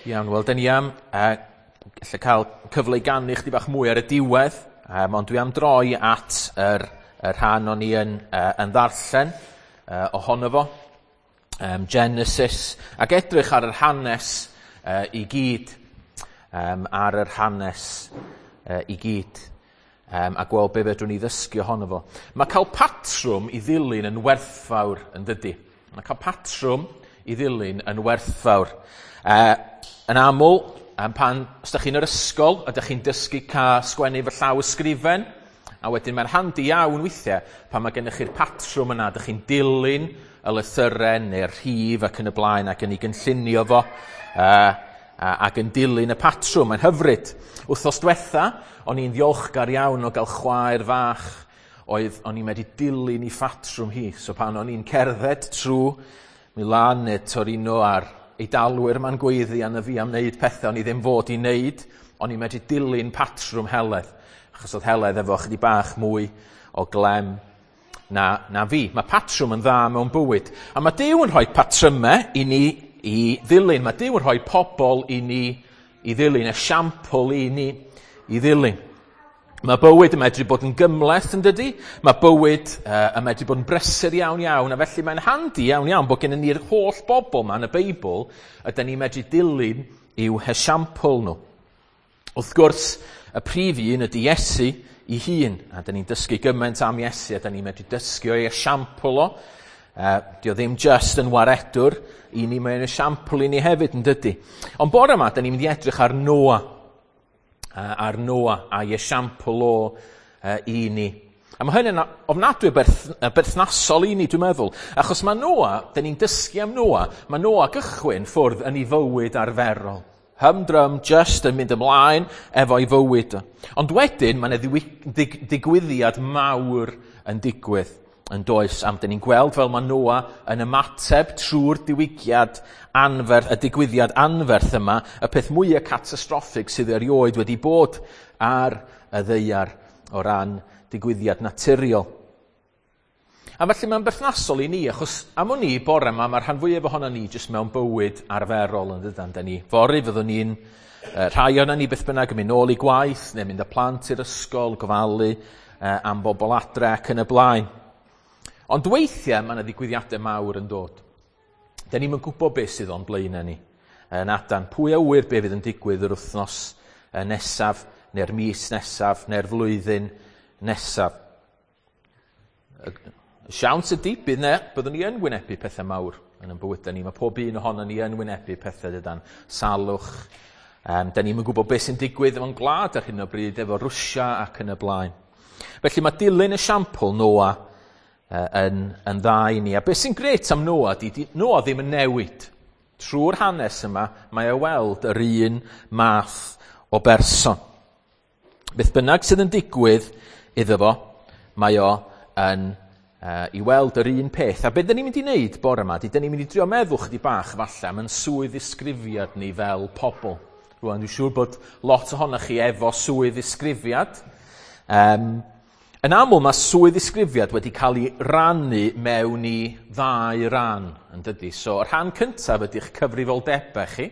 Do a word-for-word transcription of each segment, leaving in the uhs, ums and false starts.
Iawn, wel, dyn ni am uh, gallu cael cyfle i ganu chdi bach mwy ar y diwedd, um, ond dwi am droi at yr, yr rhan o'n i yn, uh, yn ddarllen uh, ohono fo, um, Genesis, ac edrych ar yr hanes uh, i gyd, um, ar yr hanes uh, i gyd, um, a gweld be fedrwn ni ddysgu ohono fo. Mae cael patrwm i ddilyn yn werthfawr yn dydy. Mae cael patrwm i ddilyn yn werthfawr. Uh, yn aml, um, pan, os ydych chi'n yr ysgol, ydych chi'n dysgu cael sgwennu fy llaw ysgrifen, a wedyn mae'n handi iawn weithiau pan mae gennych chi'r patrwm yna, ydych chi'n dilyn y lythyren neu'r rhif ac yn y blaen ac yn ei gynllunio fo, uh, ac yn dilyn y patrwm. Mae'n hyfryd. Wythnos diwetha, o'n i'n ddiolchgar iawn o gael chwaer fach oedd o'n i'n medru dilyn ei phatrwm hi. So pan o'n i'n cerdded trwy Milan neu Torino a'r Eidalwyr ma'n gweiddi arna fi am wneud pethau o'n i ddim fod i wneud, o'n i'n medru dilyn patrwm Heledd, achos oedd Heledd efo chydig bach mwy o glem na, na fi. Mae patrwm yn dda mewn bywyd. A mae Duw yn rhoi patrymau i ni i ddilyn. Mae Duw yn rhoi pobl i ni i ddilyn, esiampl i ni i ddilyn. Mae bywyd yn medru bod yn gymhleth yn dydy, mae bywyd uh, yn medru bod yn brysur iawn iawn, a felly mae'n handi iawn iawn bod gennym ni'r holl bobl yma yn y Beibl ydyn ni'n medru dilyn i'w hesiampl nhw. Wrth gwrs, y prif un ydy Iesu ei hun, a dyn ni'n dysgu gymaint am Iesu, a dyn ni'n medru dysgu o'i esiampl o. Uh, dio ddim just yn waredwr i ni, mae'n esiampl i ni hefyd yn dydy. Ond bore yma, dyn ni'n mynd i edrych ar Noa. Ar Noa a'i esiampl o uh, i ni. A mae hynny'n ofnadwy berth, berthnasol i ni, dwi'n meddwl. Achos mae Noa, dyn ni'n dysgu am Noa, mae Noa gychwyn ffwrdd yn ei fywyd arferol. Humdrum, just yn mynd ymlaen efo'i fywyd. Ond wedyn, mae yna ddigwyddiad mawr yn digwydd yn does. Am dyn ni'n gweld fel mae Noa yn ymateb trwy'r diwygiad anferth, y digwyddiad anferth yma, y peth mwyaf catastroffig sydd erioed wedi bod ar y ddaear o ran digwyddiad naturiol. A felly mae'n berthnasol i ni, achos am o'n i bore yma, mae'r rhan fwyaf ohono ni jyst mewn bywyd arferol yn dydan. Dyn ni fory fyddwn ni'n, rhai ohono ni beth bynnag yn mynd nôl i gwaith, neu mynd â plant i'r ysgol, gofalu eh, am bobl adre ac yn y blaen. Ond weithiau mae yna ddigwyddiadau mawr yn dod. Dyn ni'm yn gwybod beth sydd o'n blaenau ni. Yn adan, pwy a ŵyr be fydd yn digwydd yr wythnos nesaf, neu'r mis nesaf, neu'r flwyddyn nesaf. Y siawns ydy, bydd ne, byddwn ni yn wynebu pethau mawr yn ein bywydau ni. Mae pob un ohono ni yn wynebu pethau dydan. Salwch. Um, dyn ni'm yn gwybod beth sy'n digwydd efo'n gwlad ar hyn o bryd, efo Rwsia ac yn y blaen. Felly mae dilyn esiampl Noa yn, yn dda i ni. A beth sy'n grêt am Noa di, di Noa ddim yn newid. Trwy'r hanes yma, mae o weld yr un math o berson. Beth bynnag sydd yn digwydd iddo fo, mae o yn uh, i weld yr un peth. A beth dyn ni'n mynd i wneud bore yma, di dyn ni'n mynd i drio meddwl chydig bach falle am yn swydd ddisgrifiad ni fel pobl. Rwan, dwi'n siŵr bod lot ohonoch chi efo swydd ddisgrifiad. Um, Yn aml mae swydd ddisgrifiad wedi cael ei rannu mewn i ddau ran, yn dydy. So, y rhan cyntaf ydy'ch cyfrifoldebau chi,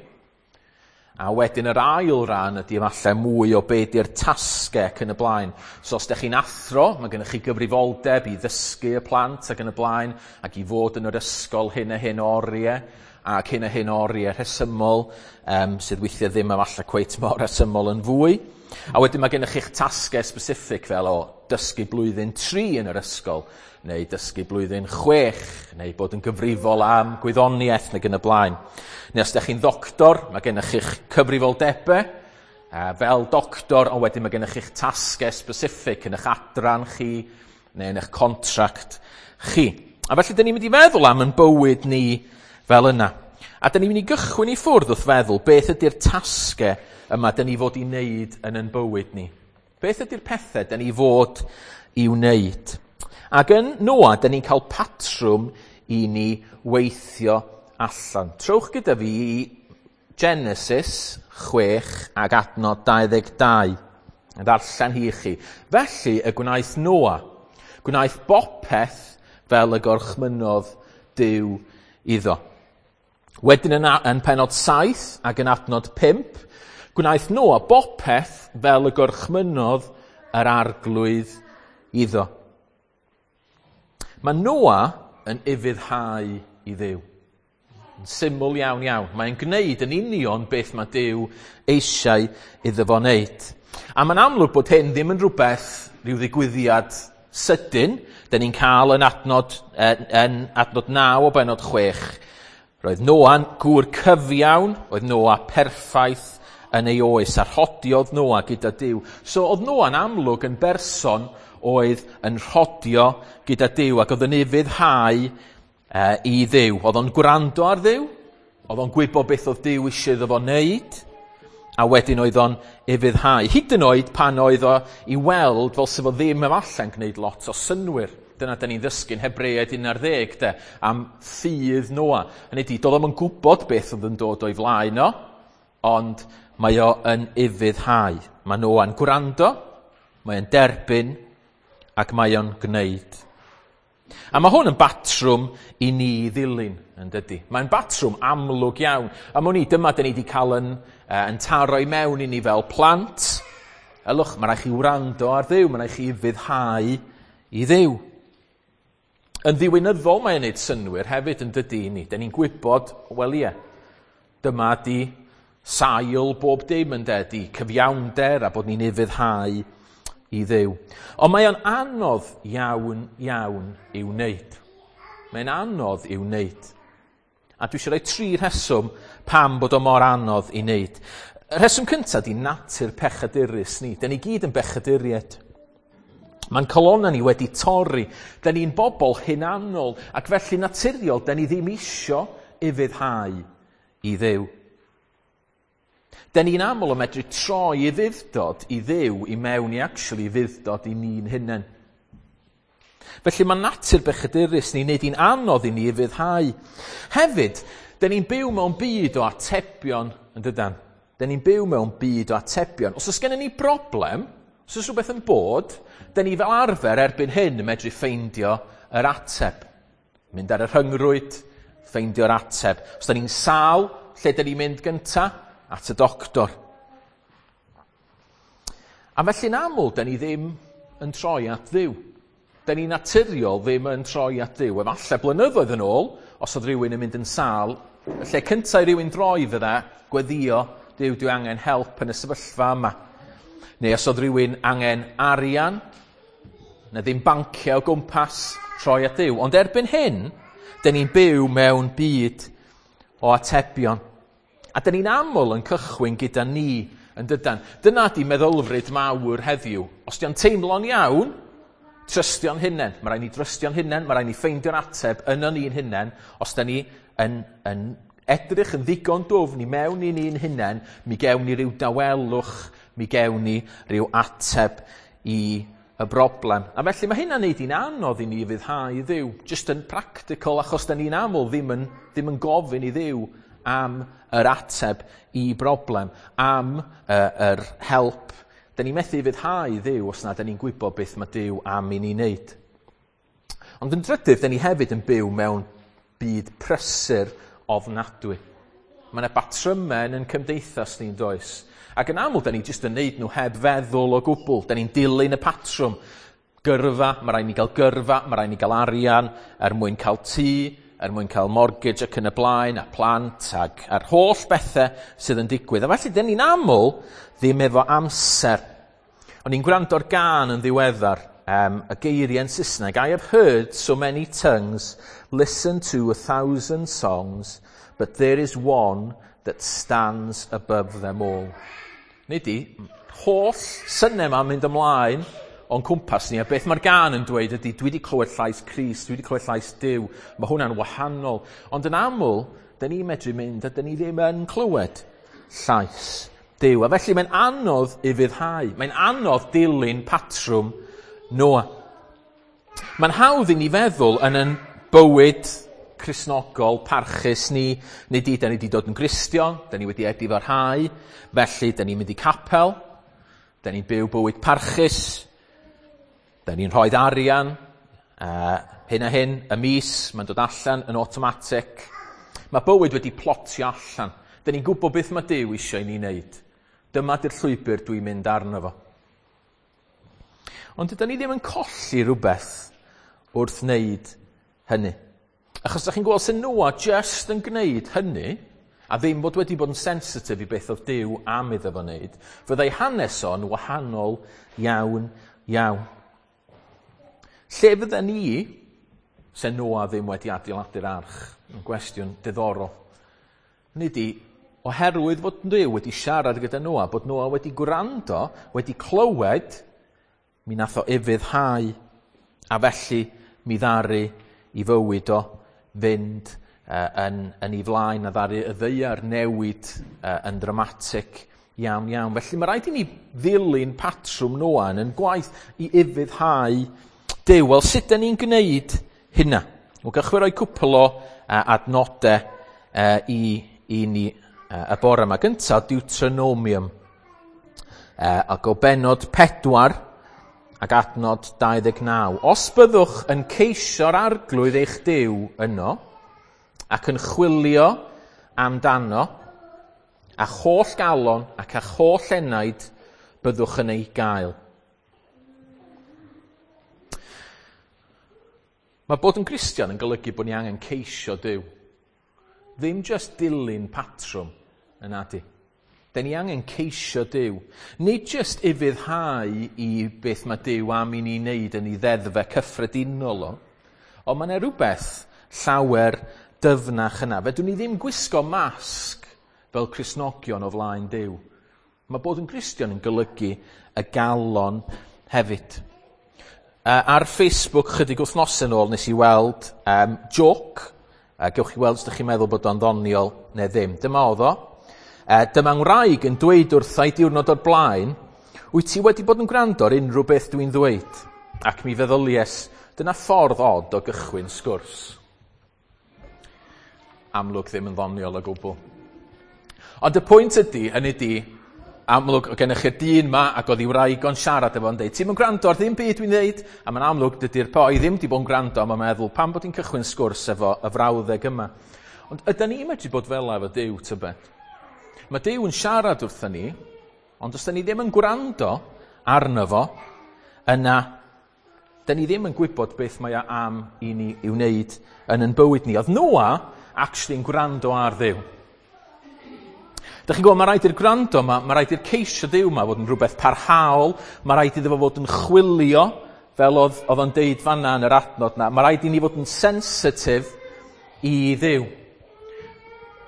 a wedyn yr ail ran ydy efallai mwy o be di'r tasgau ac yn y blaen. So, os ydych chi'n athro, mae gennych chi gyfrifoldeb i ddysgu y plant ac yn y blaen, ac i fod yn yr ysgol hyn a hyn o oriau, ac hyn a hyn o oriau rhesymol, um, sydd weithiau ddim efallai cweit mor rhesymol yn fwy. A wedyn mae gennych chi'ch tasgau specific fel o dysgu blwyddyn tri yn yr ysgol, neu dysgu blwyddyn chwech, neu bod yn gyfrifol am gwyddoniaeth neu yn y blaen. Neu os ydych chi'n ddoctor, mae gennych chi'ch cyfrifoldebau fel doctor, ond wedyn mae gennych chi'ch tasgau specific yn eich adran chi, neu yn eich contract chi. A felly, dyn ni'n mynd i feddwl am yn bywyd ni fel yna. A dyn ni'n mynd i gychwyn i ffwrdd wrth feddwl beth ydy'r tasgau yma dyn ni fod i wneud yn yn bywyd ni. Beth ydy'r pethau dyn ni fod i wneud? Ac yn Noa, dyn ni'n cael patrwm i ni weithio allan. Trowch gyda fi i Genesis chwech ag adnod dau ddeg dau. Ddarllen hi i chi. Felly y gwnaeth Noa, gwnaeth bopeth fel y gorchmynnodd Duw iddo. Wedyn yn, yn penod saith ac yn adnod pump, gwnaeth Noa bopeth fel y gorchmynnodd yr Arglwydd iddo. Mae Noa yn ufuddhau i Dduw. Yn syml iawn iawn. Mae'n gwneud yn union beth mae Duw eisiau iddo fo wneud. A mae'n amlwg bod hyn ddim yn rhywbeth, rhyw ddigwyddiad sydyn. Da ni'n cael yn adnod, yn adnod naw o benod chwech. Roedd Noa'n gŵr cyfiawn, oedd Noa perffaith yn ei oes, a rhodiodd Noa gyda Duw. So oedd Noa'n amlwg yn berson oedd yn rhodio gyda Duw ac oedd yn ufuddhau uh, i Dduw. Oedd o'n gwrando ar Dduw, oedd o'n gwybod beth oedd Duw eisiau iddo fo wneud, a wedyn oedd o'n ufuddhau. Hyd yn oed pan oedd o i weld fel sef o ddim efallai'n gwneud lot o synwyr. Dyna da ni'n ddysgu'n Hebreaid un ar ddeg de, am ffydd Noa. Hynny ydi, doedd o'm yn gwybod beth oedd yn dod o'i flaen o, ond mae o yn ufuddhau. Mae Noa'n gwrando, mae o'n derbyn, ac mae o'n gwneud. A mae hwn yn batrwm i ni ddilyn, yn dydy. Mae'n batrwm amlwg iawn. A mwyn i, dyma dyn ni wedi cael yn, uh, yn taro i mewn i ni fel plant. Ylwch, mae rhaid chi wrando ar Dduw, mae rhaid chi ufuddhau i Dduw. Yn ddiwinyddol mae'n neud synnwyr hefyd yn dydy i ni. Dyn ni'n gwybod, wel ie, dyma di sail bob dim yn de, di cyfiawnder a bod ni'n ufuddhau i Dduw. Ond mae o'n anodd iawn, iawn i'w wneud. Mae'n anodd i'w wneud. A dwi eisiau rhoi tri rheswm pam bod o mor anodd i wneud. Y rheswm cyntaf di natur pechadurus ni. Dyn ni gyd yn bechaduriaid. Mae'n colonna ni wedi torri. Dyn ni'n bobl hunanol ac felly naturiol, dyn ni ddim isio ufuddhau i Dduw. Dyn ni'n aml yn medru troi ufudd-dod i Dduw i mewn i actually ufudd-dod i ni'n hunain. Felly mae natur bechadurus ni'n neud hi'n anodd i ni ufuddhau. Hefyd, dyn ni'n byw mewn byd o atebion, yn dydan? Dyn ni'n byw mewn byd o atebion. Os oes gennym ni broblem, os oes rhywbeth yn bod, dyn ni fel arfer erbyn hyn yn medru ffeindio yr ateb. Mynd ar y rhyngrwyd, ffeindio'r ateb. Os dyn ni'n sâl, lle dyn ni'n mynd gynta? At y doctor. A felly'n aml, dyn ni ddim yn troi at Dduw. Dyn ni naturiol ddim yn troi at Dduw. Efallai blynyddoedd yn ôl, os oedd rhywun yn mynd yn sâl, y lle cyntaf i rhywun droi fydda, gweddio, Duw, dwi angen help yn y sefyllfa yma. Neu os oedd rhywun angen arian, na ddim banciau o gwmpas, troi at Dduw. Ond erbyn hyn, dyn ni'n byw mewn byd o atebion. A dyn ni'n aml yn cychwyn gyda ni yn dydan. Dyna di meddylfryd mawr heddiw. Os di'n teimlo'n iawn, trystio'n hunain. Mae rhaid ni drystio'n hunain, mae rhaid ni ffeindio'r ateb yn o'n ni'n hunain. Os da ni yn, yn edrych yn ddigon dwfn i mewn i ni'n hunain, mi gewn ni ryw dawelwch, mi gewn ni ryw ateb i y broblem. A felly mae hynna'n neud hi'n anodd i ni ufuddhau i Dduw. Just yn practical, achos da ni'n aml ddim yn, ddim yn gofyn i Dduw am yr ateb i broblem, am uh, yr help. Da ni'n methu ufuddhau i Dduw os na da ni'n gwybod beth mae Duw am i ni wneud. Ond yn drydydd, da ni hefyd yn byw mewn byd prysur ofnadwy. Mae yna batrymau yn cymdeithas ni'n does. Ac yn aml, da ni jyst yn neud nhw heb feddwl o gwbl. Da ni'n dilyn y patrwm. Gyrfa, mae rhaid ni gael gyrfa, mae rhaid ni gael arian er mwyn cael tŷ, er mwyn cael mortgage ac yn y blaen, a plant, ac a'r holl bethau sydd yn digwydd. A felly, dyn ni'n aml ddim efo amser. O'n i'n gwrando'r gân yn ddiweddar, um, y geiriau yn Saesneg. I have heard so many tongues, listen to a thousand songs, but there is one that stands above them all. Nid i, holl synnau ma'n mynd ymlaen o'n cwmpas ni, a beth mae'r gân yn dweud ydy, dwi wedi clywed llais Crist, dwi wedi clywed llais Duw, mae hwnna'n wahanol. Ond yn aml, dyn ni'n medru mynd a dyn ni ddim yn clywed llais Duw. A felly mae'n anodd ufuddhau, mae'n anodd dilyn patrwm Noa. Mae'n hawdd i ni feddwl yn yn bywyd Cristnogol parchus ni, nid i, da ni wedi dod yn Gristion, da ni wedi edifarhau, felly da ni'n mynd i capel, da ni'n byw bywyd parchus, da ni'n rhoi arian, uh, hyn a hyn, y mis, mae'n dod allan yn automatic. Mae bywyd wedi plotio allan. Dyn ni'n gwybod beth mae Duw eisiau i ni wneud. Dyma di'r llwybr dwi'n mynd arno fo. Ond dydyn ni ddim yn colli rhywbeth wrth wneud hynny. Achos ydych chi'n gweld sy'n Noa just yn gwneud hynny, a ddim bod wedi bod yn sensitif i beth oedd Duw am iddo fo wneud, fyddai hanes o'n wahanol iawn, iawn. Lle fydden ni, se Noa ddim wedi adeiladu'r arch? Yn gwestiwn diddorol. Nid i, oherwydd fod Duw wedi siarad gyda Noa, bod Noa wedi gwrando, wedi clywed, mi nath o ufuddhau, a felly mi ddaru i fywyd o fynd uh, yn, yn ei flaen, a ddaru y ddaear newid uh, yn dramatic iawn iawn. Felly mae rhaid i ni ddilyn patrwm Noa yn yn gwaith i ufuddhau Duw. Wel, sut da ni'n gwneud hynna? Wel, gewch chi roi cwpl o uh, adnodau uh, i, i ni uh, y bore yma. Gyntaf, Deuteronomium. Uh, ac o benod pedwar ac adnod dau ddeg naw. Os byddwch yn ceisio'r arglwydd eich Duw yno, ac yn chwilio amdano, a holl galon ac a holl enaid byddwch yn ei gael. Mae bod yn Gristion yn golygu bod ni angen ceisio Duw. Ddim just dilyn patrwm yn adi. Da ni angen ceisio Duw. Nid just ufuddhau i beth mae Duw am i ni wneud yn ei ddeddfau cyffredinol o, ond mae yna rhywbeth llawer dyfnach yna. Fedrwn ni ddim gwisgo masg fel Cristnogion o flaen Duw. Mae bod yn Gristion yn golygu y galon hefyd. Uh, ar Facebook chydig wythnosau yn ôl nes i weld um, joke. Uh, gewch chi weld os ydych chi'n meddwl bod o'n ddoniol neu ddim. Dyma oedd o. Uh, dyma ngwraig yn dweud wrtha i diwrnod o'r blaen, wyt ti wedi bod yn gwrando ar unrhyw beth dwi'n ddweud? Ac mi feddylies, dyna ffordd od o gychwyn sgwrs. Amlwg ddim yn ddoniol o gwbl. Ond y pwynt ydy, hynny ydy, amlwg, o gennych chi'r dyn ma ac oedd ei wraig o'n siarad efo yn deud, ti'n mynd gwrando ar ddim byd dwi'n dweud? A mae'n amlwg dydy'r boi ddim wedi bod yn gwrando, a mae'n meddwl, pam bod hi'n cychwyn sgwrs efo y frawddeg yma? Ond ydy ni'n medru bod fel efo Duw, tybed? Mae Duw yn siarad wrthyn ni, ond os da ni ddim yn gwrando arno fo, yna, da ni ddim yn gwybod beth mae o am i ni i'w wneud yn yn bywyd ni. Oedd Noa actually yn gwrando ar Dduw. Dych chi'n gwybod, mae rhaid i'r gwrando yma, mae rhaid i'r ceisio Duw yma fod yn rhywbeth parhaol, mae rhaid iddo fo fod yn chwilio, fel oedd, oedd o'n deud fanna yn yr adnod na. Mae rhaid i ni fod yn sensitif i Dduw.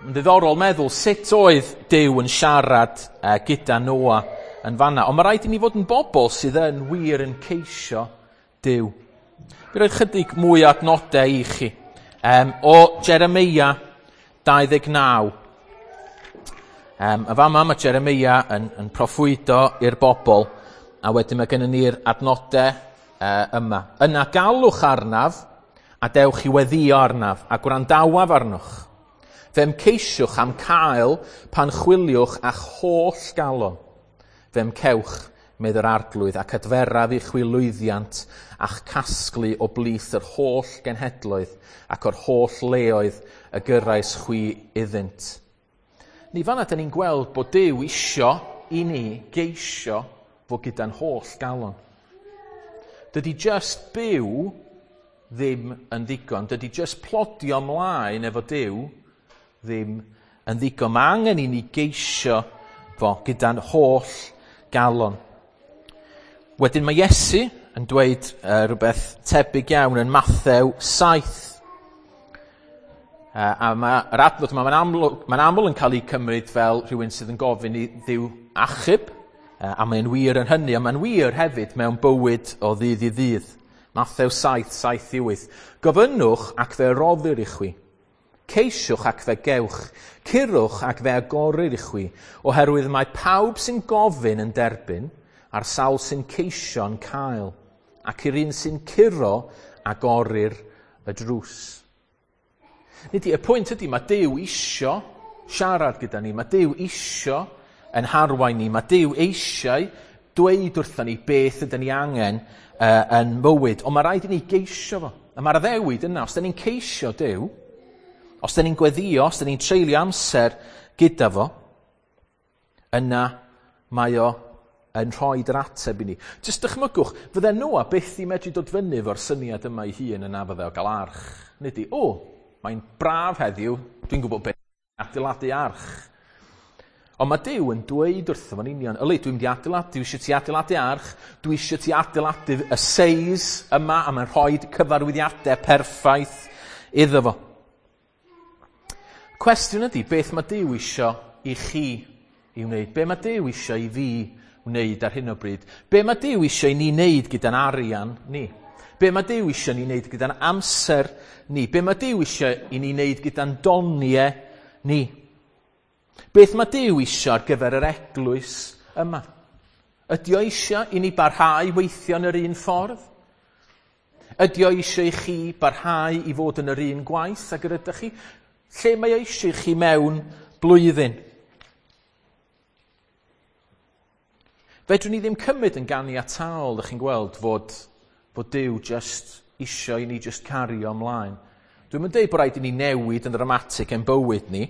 Yn ddiddorol meddwl sut oedd Duw yn siarad uh, gyda Noa yn fanna. Ond mae rhaid i ni fod yn bobl sydd yn wir yn ceisio Duw. Fi roi chydig mwy o adnodau i chi. Um, o Jeremia dau ddeg naw. Um, a fama mae Jeremia yn, yn proffwydo i'r bobl, a wedyn mae gennym ni'r adnodau uh, yma. Yna galwch arnaf, a dewch i weddio arnaf, a gwrandawaf arnoch. Fe'm ceisiwch am cael pan chwiliwch a'ch holl galon. Fe'm cewch, medd yr arglwydd, ac adferaf i chwi lwyddiant a'ch casglu o blith yr holl genhedloedd ac o'r holl leoedd y gyrrais chwi iddynt. Ni fanna, da ni'n gweld bod Duw isio i ni geisio fod gyda'n holl galon. Dydy just byw ddim yn ddigon. Dydy just plodio ymlaen efo Duw ddim yn ddigon. Mae angen i ni geisio fo gyda'n holl galon. Wedyn mae Iesu yn dweud uh, rhywbeth tebyg iawn yn Mathew saith. Uh, a mae'r adnod yma, mae'n aml, mae'n aml yn cael ei cymryd fel rhywun sydd yn gofyn i Dduw achub, uh, a mae'n wir yn hynny, a mae'n wir hefyd mewn bywyd o ddydd i ddydd. Mathew saith, saith i wyth. Gofynnwch ac fe roddir i chwi. Ceisiwch ac fe gewch. Curwch ac fe agorir i chwi, oherwydd mae pawb sy'n gofyn yn derbyn, a'r sawl sy'n ceisio'n cael, ac i'r un sy'n curo agorir y drws. Nid i, y pwynt ydy, mae Duw isio siarad gyda ni, mae Duw isio yn harwain ni, mae Duw eisiau dweud wrthon ni beth ydyn ni angen uh, yn mywyd, ond mae rhaid i ni geisio fo. A mae'r addewid yna, os ydyn ni'n ceisio Duw, Os da ni'n gweddio, os da ni'n treulio amser gyda fo, yna mae o yn rhoi yr ateb i ni. Jyst dychmygwch, fydde Noa byth i medru dod fyny efo'r syniad yma ei hun yna fydde o gael arch. Nid i, o, mae'n braf heddiw, dwi'n gwybod beth, adeiladu arch. Ond mae Duw yn dweud wrtho fo'n union, yli, dwi'n mynd i adeiladu, dwi eisiau ti adeiladu arch, dwi eisiau ti adeiladu y seis yma, a mae'n rhoi cyfarwyddiadau perffaith iddo fo. Cwestiwn ydy, beth mae Duw eisiau i chi i wneud? Be mae Duw eisiau i fi wneud ar hyn o bryd? Be mae Duw eisiau i ni wneud gyda'n arian ni? Be mae Duw eisiau ni wneud gyda'n amser ni? Be mae Duw eisiau i ni wneud gyda'n doniau ni? Beth mae Duw eisiau ar gyfer yr eglwys yma? Ydy o eisiau i ni barhau weithio yn yr un ffordd? Ydy o eisiau i chi barhau i fod yn yr un gwaith ag yr ydych chi? Lle mae o eisiau i chi mewn blwyddyn? Fedrwn ni ddim cymryd yn ganiataol, ydych chi'n gweld, fod, fod Duw just eisiau i ni just cario ymlaen. Dwi'm yn deud bod rhaid i ni newid yn ddramatig ein bywyd ni,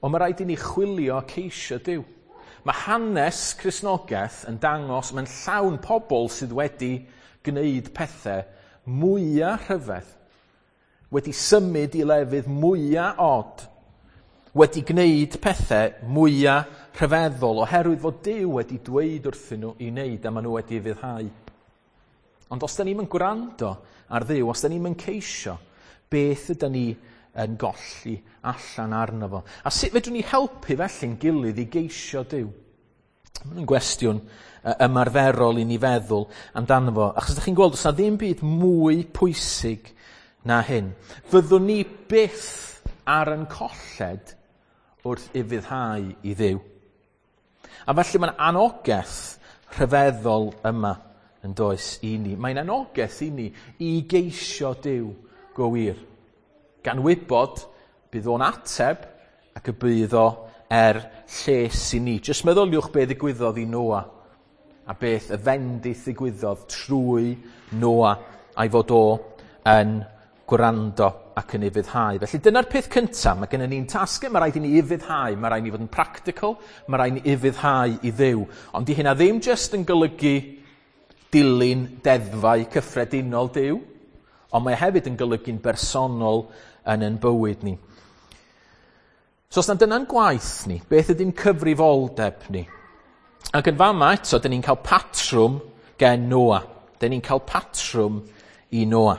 ond mae rhaid i ni chwilio ceisio Duw. Mae hanes Cristnogaeth yn dangos mae'n llawn pobl sydd wedi gwneud pethau mwyaf rhyfedd, wedi symud i lefydd mwyaf od, wedi gwneud pethau mwyaf rhyfeddol oherwydd fod Duw wedi dweud wrthyn nhw i wneud a maen nhw wedi ufuddhau. Ond os da ni'm yn gwrando ar Dduw, os da ni'm yn ceisio, beth yda ni yn golli allan arno fo? A sut fedrwn ni helpu felly'n gilydd i geisio Duw? Mae'n gwestiwn ymarferol i ni feddwl amdano fo. Achos ydych chi'n gweld, oes na ddim byd mwy pwysig na hyn. Fyddwn ni byth ar yn colled wrth ufuddhau i Dduw. A felly mae'n anogaeth rhyfeddol yma yn does i ni. Mae'n anogaeth i ni i geisio Duw go wir. Gan wybod bydd o'n ateb ac y bydd o er lles i ni. Jyst meddyliwch be ddigwyddodd i Noa a beth y fendith ddigwyddodd trwy Noa a'i fod o yn gwrando ac yn ufuddhau. Felly dyna'r peth cyntaf. Mae gennym ni'n tasgau, mae rhaid i ni ufuddhau, mae rhaid i ni fod yn practical, mae rhaid i ni ufuddhau i Dduw. Ond di hynna ddim jyst yn golygu dilyn deddfau cyffredinol Duw, ond mae hefyd yn golygu'n bersonol yn ein bywyd ni. So os na dyna'n gwaith ni, beth ydy'n cyfrifoldeb ni? Ac yn fama eto, dyn ni'n cael patrwm gen Noa. Dyn ni'n cael patrwm i Noa.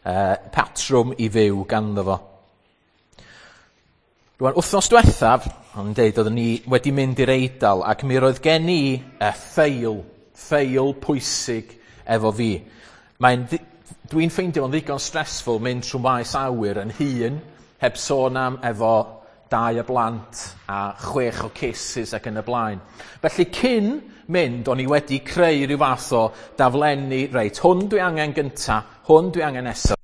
Uh, patrwm i fyw ganddo fo. Rwan, wythnos diwethaf, o'n deud, oeddwn ni wedi mynd i'r Eidal, ac mi roedd gen i uh, ffeil, ffeil pwysig efo fi. Mae'n dwi'n ffeindio fo'n ddigon stressful mynd trwy maes awyr yn hun, heb sôn am efo dau o blant a chwech o cases ac yn y blaen. Felly cyn mynd, o'n i wedi creu rhyw fath o daflenni, reit, hwn dwi angen gynta, hwn dwi angen nesaf.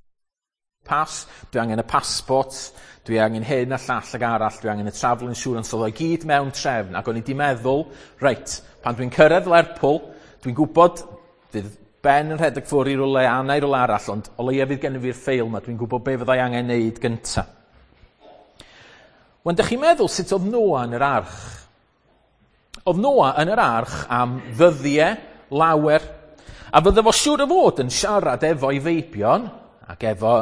Pas, dwi angen y passport, dwi angen hyn a llall ag arall, dwi angen y travel insurance, oedd o gyd mewn trefn, ac o'n i wedi meddwl, reit, pan dwi'n cyrraedd Lerpwl, dwi'n gwybod, fydd Ben yn rhedeg ffwrdd i rywle, Anna i rywle arall, ond o leia fydd gennym fi'r ffeil yma, dwi'n gwybod be fyddai angen neud gynta. Wan, dych chi'n meddwl sut oedd Noa yn yr arch? Oedd Noa yn yr arch am ddyddiau lawer, a fydde fo siŵr o fod yn siarad efo'i feibion, ac efo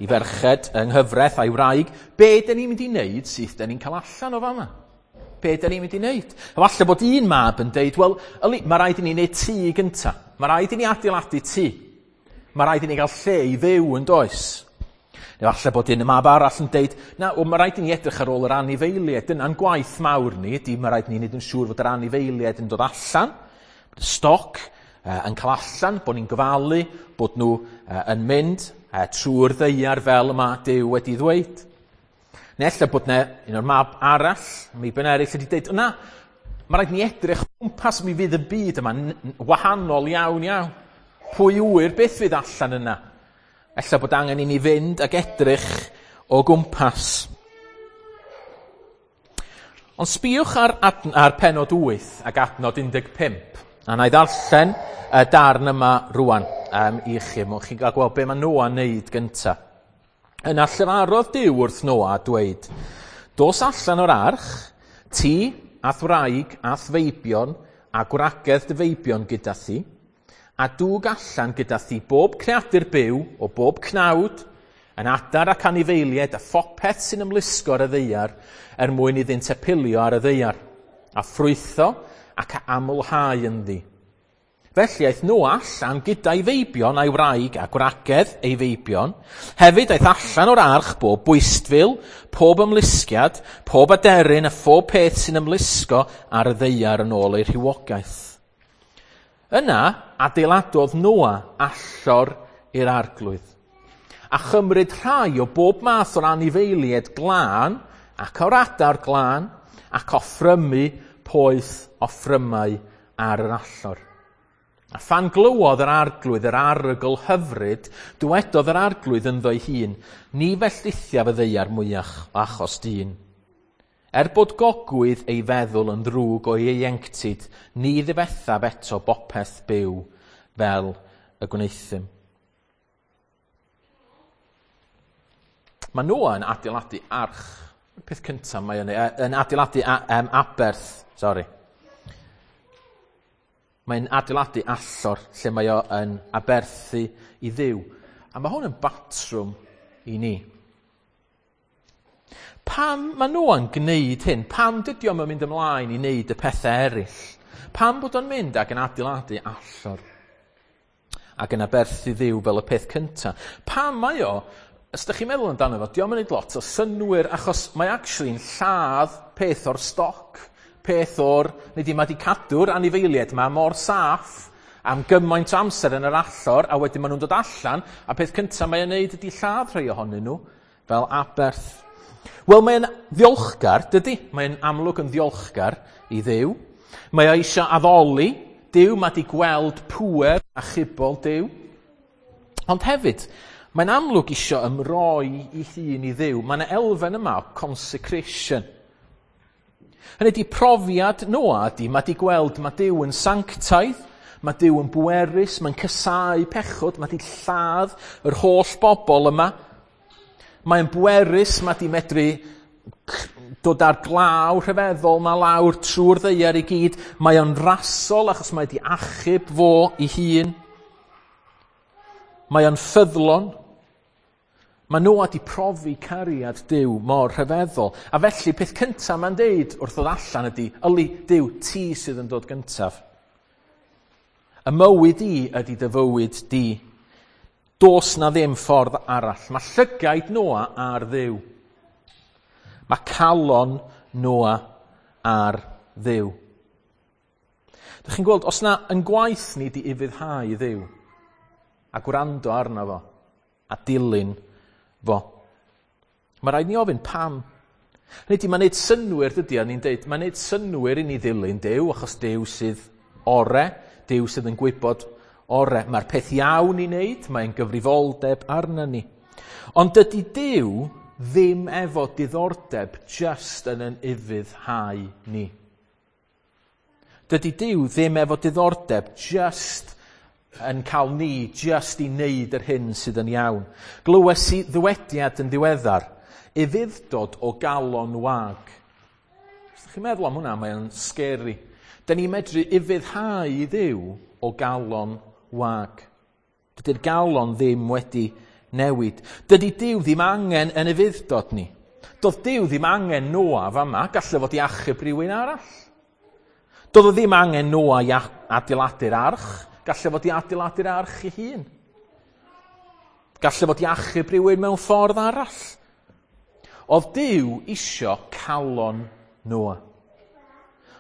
i ferched yng nghyfraith a'i wraig, be dyn ni'n mynd i wneud sydd dyn ni'n cael allan o fama? Be dyn ni'n mynd i wneud? A falle bod un mab yn deud, wel, yli, mae rhaid i ni wneud tŷ gynta. Mae rhaid i ni adeiladu tŷ. Mae rhaid i ni gael lle i fyw yn does. Neu falle bod un mab arall yn deud, na, wel, mae rhaid i ni edrych ar ôl yr anifeiliaid. Dyna'n gwaith mawr ni, ydy mae rhaid i ni wneud yn siŵr fod yr anifeiliaid yn dod allan, bod y stoc uh, yn cael allan, bod ni'n gofalu, bod nhw uh, yn mynd uh, trwy'r ddaear fel yma Duw wedi ddweud. Neu ella bod ne, un o'r mab arall, meibion eraill wedi dweud, na, mae rhaid ni edrych o gwmpas, mi fydd y byd yma wahanol iawn iawn. Pwy ŵyr beth fydd allan yna? Ella bod angen i ni fynd ac edrych o gwmpas. Ond sbïwch ar, ar penod wyth ac adnod un deg pump. A na i ddarllen y darn yma rwan um, i chi. Mwyn chi'n cael gweld be mae Noa'n neud gynta. Yna llefarodd Duw wrth Noa a dweud, dos allan o'r arch, ti a'th wraig a'th feibion a gwragedd dy feibion gyda thi, a dwg allan gyda thi bob creadur byw o bob cnawd, yn adar ac anifeiliaid a phopeth sy'n ymlusgo ar y ddaear er mwyn iddynt epilio ar y ddaear, a ffrwytho ac a amlhau ynddi. Felly aeth Noa allan gyda'i feibion a'i wraig a gwragedd ei feibion. Hefyd aeth allan o'r arch bob bwystfil, pob ymlusgiad, pob aderyn a phob peth sy'n ymlusgo ar y ddaear yn ôl ei rhywogaeth. Yna adeiladodd Noa allor i'r arglwydd, a chymryd rhai o bob math o'r anifeiliaid glân ac o'r adar glân ac offrymu poeth offrymau ar yr allor. A phan glywodd yr arglwydd yr arogl hyfryd, dywedodd yr arglwydd ynddo'i hun, ni felldithiaf y ddaear mwyach o achos dyn. Er bod gogwydd ei feddwl yn ddrwg o'i ieuenctid, ni ddifethaf eto bopeth byw fel y gwneuthum. Mae Noa yn adeiladu arch. Y peth cyntaf mae yn, yn adeiladu a, um, aberth, sorry. Mae'n adeiladu allor lle mae o yn aberthu i Dduw. A mae hwn yn batrwm i ni. Pam mae Noa'n gwneud hyn? Pam dydy o'm yn mynd ymlaen i wneud y pethau eraill? Pam bod o'n mynd ac yn adeiladu allor ac yn aberthu Dduw fel y peth cyntaf? Pam mae o, os ydych chi'n meddwl amdano fo, dio'm yn neud lot o synnwyr achos mae actually'n lladd peth o'r stoc. Peth o'r, neu di mae di cadw'r anifeiliaid ma mor saff am gymaint o amser yn yr allor, a wedyn maen nhw'n dod allan, a peth cyntaf mae'n neud ydy lladd rhai ohonyn nhw fel aberth. Wel, mae'n ddiolchgar, dydy? Mae'n amlwg yn ddiolchgar i Dduw. Mae o eisiau addoli Duw, mae di gweld pŵer a chibol Duw. Ond hefyd, mae'n amlwg eisiau ymroi ei hun i Dduw. Mae yna elfen yma o consecration. Hynny ydi profiad Noa ydi, mae di gweld mae Duw yn sanctaidd, mae Duw yn bwerus, mae'n casáu pechod, mae di lladd yr holl bobl yma. Mae'n bwerus, mae di medru dod ar glaw rhyfeddol ma lawr trwy'r ddaear i gyd. Mae o'n rasol achos mae di achub fo ei hun. Mae o'n ffyddlon. Mae Noa di profi cariad Duw mor rhyfeddol. A felly, peth cyntaf mae'n deud wrth ddod allan ydy, yli, Duw, ti sydd yn dod gyntaf. Y mywyd i ydy dy fywyd di. Dos na ddim ffordd arall. Mae llygaid Noa ar Dduw. Mae calon Noa ar Dduw. Dych chi'n gweld, os na yn gwaith ni di ufuddhau Dduw, a gwrando arno fo, a dilyn fo. Mae rhaid ni ofyn pam. Hynny ydi, mae'n neud synnwyr, dydy, a ni'n deud, mae'n neud synnwyr i ni ddilyn Duw, achos Duw sydd ore, Duw sydd yn gwybod ore. Mae'r peth iawn i wneud, mae'n gyfrifoldeb arna ni. Ond dydy Duw ddim efo diddordeb just yn yn ufuddhau ni. Dydy Duw ddim efo diddordeb just yn cael ni just i wneud yr hyn sydd yn iawn. Glywes i ddywediad yn ddiweddar, ufudd-dod o galon wag. Os ydych chi'n meddwl am hwnna, mae'n scary. Da ni'n medru ufuddhau i Dduw o galon wag. Dydy'r galon ddim wedi newid. Dydy Duw ddim angen yn ufudd-dod ni. Doedd Duw ddim angen Noa fama, gallai fod i achub rhywun arall. Doedd o ddim angen Noa i adeiladu'r arch, gallai fod i adeiladu'r arch ei hun. Gallai fod i achub rhywun mewn ffordd arall. Oedd Duw isio calon Noa.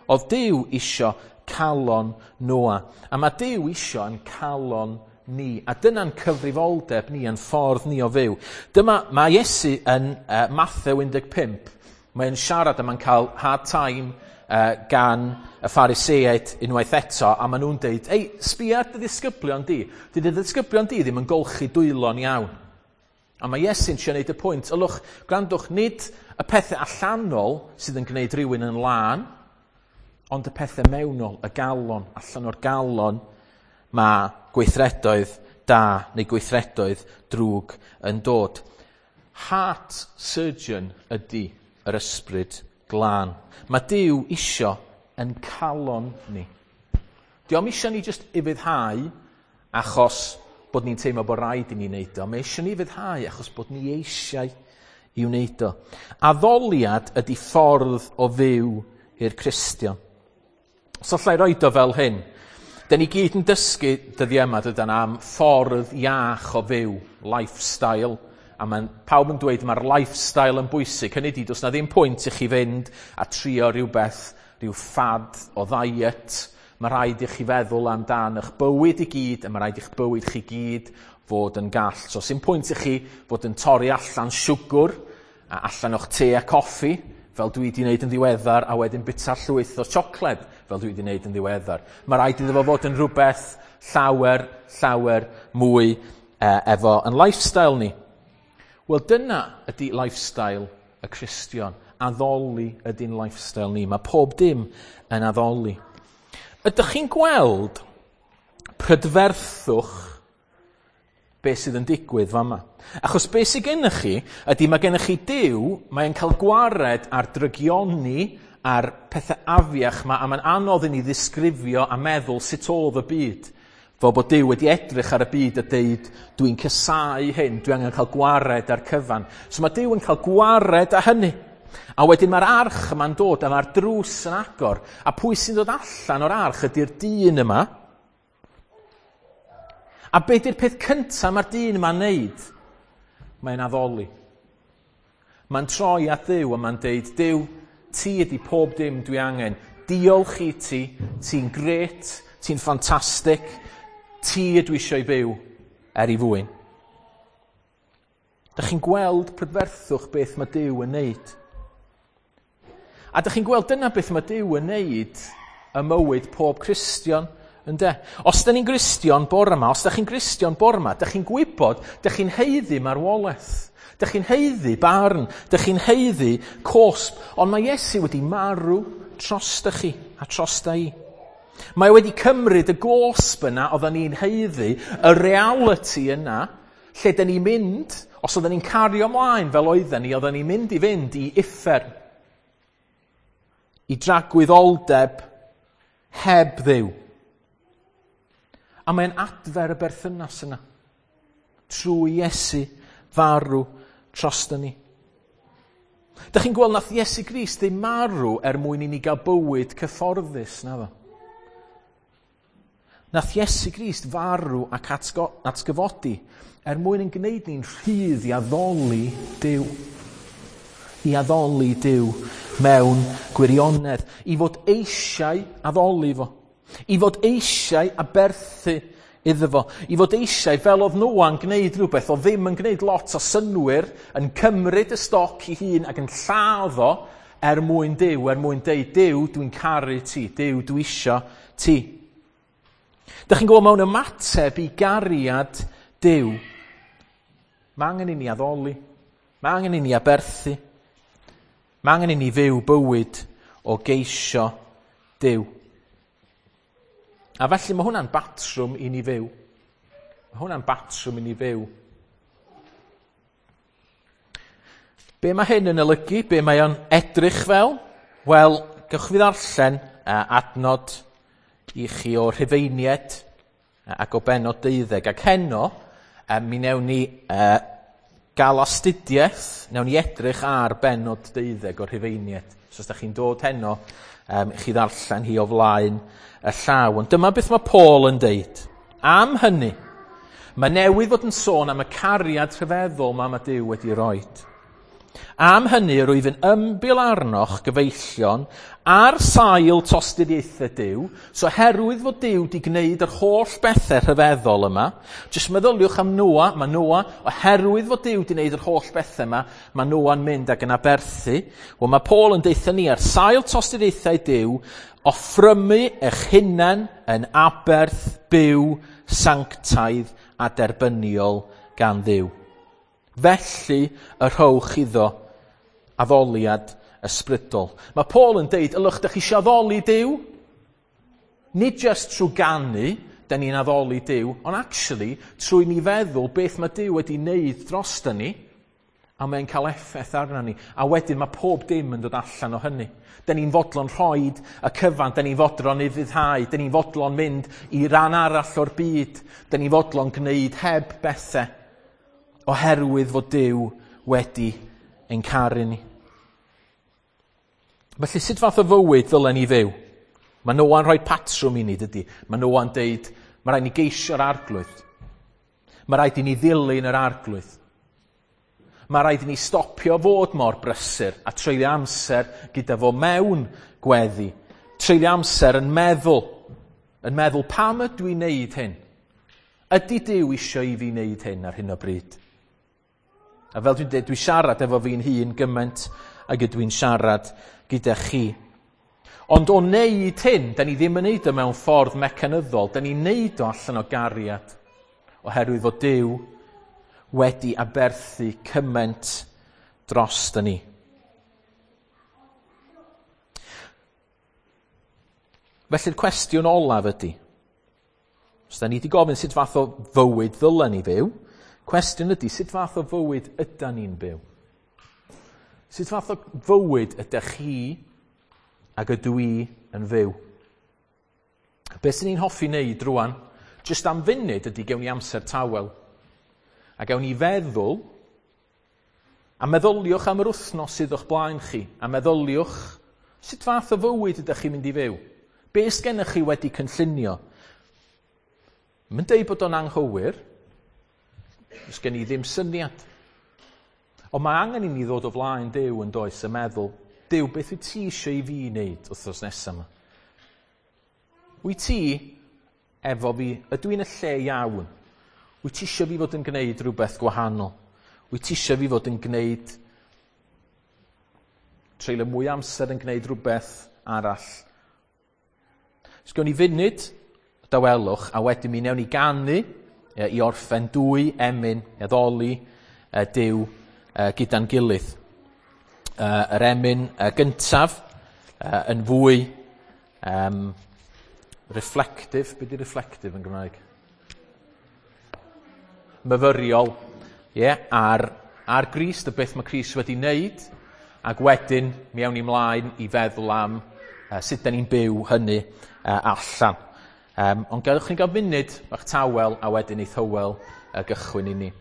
Oedd Duw isio calon Noa. A mae Duw isio yn calon ni. A dyna'n cyfrifoldeb ni, yn ffordd ni o fyw. Dyma, mae Iesu yn uh, Mathew un deg pump. Mae'n siarad a mae'n cael hard time uh, gan y Phariseaid unwaith eto, a maen nhw'n deud, ei, sbia ar dy ddisgyblion di. Dy dy ddisgyblion di ddim yn golchi dwylo'n iawn. A mae Iesu'n trio neud y pwynt, ylwch, gwrandwch, nid y pethau allanol sydd yn gwneud rhywun yn lân, ond y pethau mewnol, y galon, allan o'r galon, mae gweithredoedd da neu gweithredoedd drwg yn dod. Heart surgeon ydy yr Ysbryd Glân. Mae Duw isio yn calon ni. Dio'm isio ni jyst ufuddhau achos bod ni'n teimlo bod rhaid i ni wneud o. Mae isio ni ufuddhau achos bod ni eisiau i wneud o. Addoliad ydy ffordd o fyw i'r Cristion. So allai roed o fel hyn. Da ni gyd yn dysgu dyddiau yma dydan am ffordd iach o fyw, lifestyle. A mae pawb yn dweud mae'r lifestyle yn bwysig. Hynny ydy, does na ddim pwynt i chi fynd a trio rhywbeth, rhyw fad o ddiet. Mae rhaid i chi feddwl amdan eich bywyd i gyd, a mae rhaid i'ch bywyd chi gyd fod yn gall. So, sy'n pwynt i chi fod yn torri allan siwgr, a allan o'ch te a coffi, fel dwi wedi wneud yn ddiweddar, a wedyn bita llwyth o siocled, fel dwi wedi wneud yn ddiweddar. Mae rhaid iddo fo fod yn rhywbeth llawer, llawer mwy eh, efo yn lifestyle ni. Wel, dyna ydy lifestyle y Cristion. Addoli ydy'n lifestyle ni. Mae pob dim yn addoli. Ydych chi'n gweld prydferthwch beth sydd yn digwydd fama? Achos beth sydd gennych chi ydy mae gennych chi Duw, mae'n cael gwared ar drygioni a'r pethau afiach ma, a mae'n anodd i ni ddisgrifio a meddwl sut oedd y byd. Fel bod Duw wedi edrych ar y byd a deud, dwi'n casáu hyn, dwi angen cael gwared ar cyfan. So mae Duw yn cael gwared â hynny. A wedyn mae'r arch yma'n dod a mae'r drws yn agor. A pwy sy'n dod allan o'r arch ydy'r dyn yma. A be di'r peth cyntaf mae'r dyn yma'n neud? Mae'n addoli. Mae'n troi at Dduw a mae'n deud, Duw, ti ydy pob dim dwi angen. Diolch i ti, ti'n grêt, ti'n ffantastig, ti ydw eisiau byw er i fwyn. Dych chi'n gweld prydferthwch beth mae Duw yn neud. A dych chi'n gweld dyna beth mae Duw yn neud ym mywyd pob Cristion, ynde? Os da ni'n Gristion bore yma, os da chi'n Gristion bore yma, dych chi'n gwybod, dych chi'n haeddu marwolaeth. Dych chi'n haeddu barn, dych chi'n haeddu cosb, ond mae Iesu wedi marw drosta chi a drosta i. Mae wedi cymryd y gosb yna oedden ni'n haeddu, y reality yna, lle dyn ni'n mynd, os oedden ni'n cario ymlaen fel oedden ni, oedden ni'n mynd i fynd i uffern, i dragwyddoldeb heb Dduw. A mae'n adfer y berthynas yna, trwy Iesu farw drosta ni. Dych chi'n gweld nath Iesu Grist ddim marw er mwyn i ni gael bywyd cyfforddus, na ddo? Nath Iesu Grist farw ac atgo, atgyfodi er mwyn yn gwneud ni'n rhydd i addoli Duw. I addoli Duw mewn gwirionedd. I fod eisiau addoli fo. I fod eisiau aberthu iddo fo. I fod eisiau, fel oedd Noa'n gwneud rhywbeth, oedd ddim yn gwneud lot o synwyr, yn cymryd y stoc i hun ac yn lladd o er mwyn Duw, er mwyn deud, Duw, dwi'n caru ti, Duw, dwi isio ti. Dych chi'n gwybod mewn ymateb i gariad Duw, mae angen i ni addoli, mae angen i ni aberthu, mae angen i ni fyw bywyd o geisio Duw. A felly mae hwnna'n batrwm i ni fyw. Mae hwnna'n batrwm i ni fyw. Be mae hyn yn olygu? Be mae o'n edrych fel? Wel, gewch fi ddarllen adnod i chi o Rhufeiniaid ac o bennod deuddeg. Ac heno, mi newn ni gael astudiaeth, newn ni edrych ar bennod deuddeg o'r Rhufeiniaid. So os da chi'n dod heno, um, chi ddarllen hi o flaen y llaw. Ond dyma beth mae Paul yn deud. Am hynny, mae newydd fod yn sôn am y cariad rhyfeddol mae mae Duw wedi roed. Am hynny, rwyf yn ymbil arnoch, gyfeillion, ar sail tosturiaethau Duw, so oherwydd fod Duw wedi gwneud yr holl bethau rhyfeddol yma, jyst meddyliwch am Noa, mae Noa, oherwydd fod Duw wedi gwneud yr holl bethau yma, mae Noa'n mynd ac yn aberthu. Wel, mae Paul yn deutha ni ar sail tosturiaethau Duw, offrymu eich hunain yn aberth byw, sanctaidd a derbyniol gan Dduw. Felly y rhowch iddo addoliad ysbrydol. Mae Paul yn deud, ylwch, dych chi eisiau addoli Duw? Nid just trwy ganu, da ni'n addoli Duw, ond actually, trwy ni feddwl beth mae Duw wedi wneud drosta ni, A mae'n cael effaith arno ni. A wedyn mae pob dim yn dod allan o hynny. Dyn ni'n fodlon rhoid y cyfan, dyn ni'n fodlon ufuddhau, dyn ni'n fodlon mynd i ran arall o'r byd, dyn ni'n fodlon gwneud heb bethau, oherwydd fod Duw wedi ein caru ni. Felly sut fath o fywyd ddylen ni fyw? Mae Noa'n rhoi patrwm i ni, dydy. Mae Noa'n deud, mae rhaid ni geisio'r arglwydd. Mae rhaid i ni ddilyn yr arglwydd. Mae rhaid i ni stopio fod mor brysur a treulio amser gyda fo mewn gweddi. Treulio amser yn meddwl, yn meddwl pam ydw i'n neud hyn? Ydy Duw isio i fi wneud hyn ar hyn o bryd? A fel dwi'n dweud, dwi'n siarad efo fi'n hun gymaint ag ydw i'n siarad gyda chi. Ond o wneud hyn, da ni ddim yn neud o mewn ffordd mecanyddol, da ni'n neud o allan o gariad, oherwydd fod Duw wedi aberthu cymaint dros ni. Felly'r cwestiwn olaf ydy, os da ni wedi gofyn sut fath o fywyd ddylen ni fyw, cwestiwn ydy, sut fath o fywyd ydan ni'n byw? Sut fath o fywyd ydych chi ac ydw i yn fyw? Be sy'n ni'n hoffi wneud rwan, jyst am funud ydy gewn ni amser tawel. A gawn ni feddwl, a meddyliwch am yr wythnos sydd o'ch blaen chi, a meddyliwch sut fath o fywyd ydych chi'n mynd i fyw. Be sgennych chi wedi cynllunio? Mae'n deud bod o'n anghywir, os gen i ddim syniad. Ond mae angen i ni ddod o flaen Duw yn does a meddwl, Duw, beth wyt ti eisiau i fi wneud wythnos nesaf yma? Wyt ti efo fi, ydw i'n y lle iawn? Wyt ti eisiau fi fod yn gwneud rhywbeth gwahanol? Wyt ti eisiau fi fod yn gwneud, treulio mwy amser yn gwneud rhywbeth arall? So gawn ni funud dawelwch, a wedyn mi newn ni ganu i orffen dwy emyn, i addoli Duw gyda'n gilydd. Yr emyn gyntaf yn fwy um, reflective. Be di reflective yn Gymraeg? Myfyriol, yeah, ar, ar Grist, y beth mae Crist wedi wneud, ac wedyn mi awn ni mlaen i feddwl am uh, sut da ni'n byw hynny uh, allan. Um, ond gadewch ni gael munud bach tawel a wedyn eith Hywel uh, gychwyn i ni.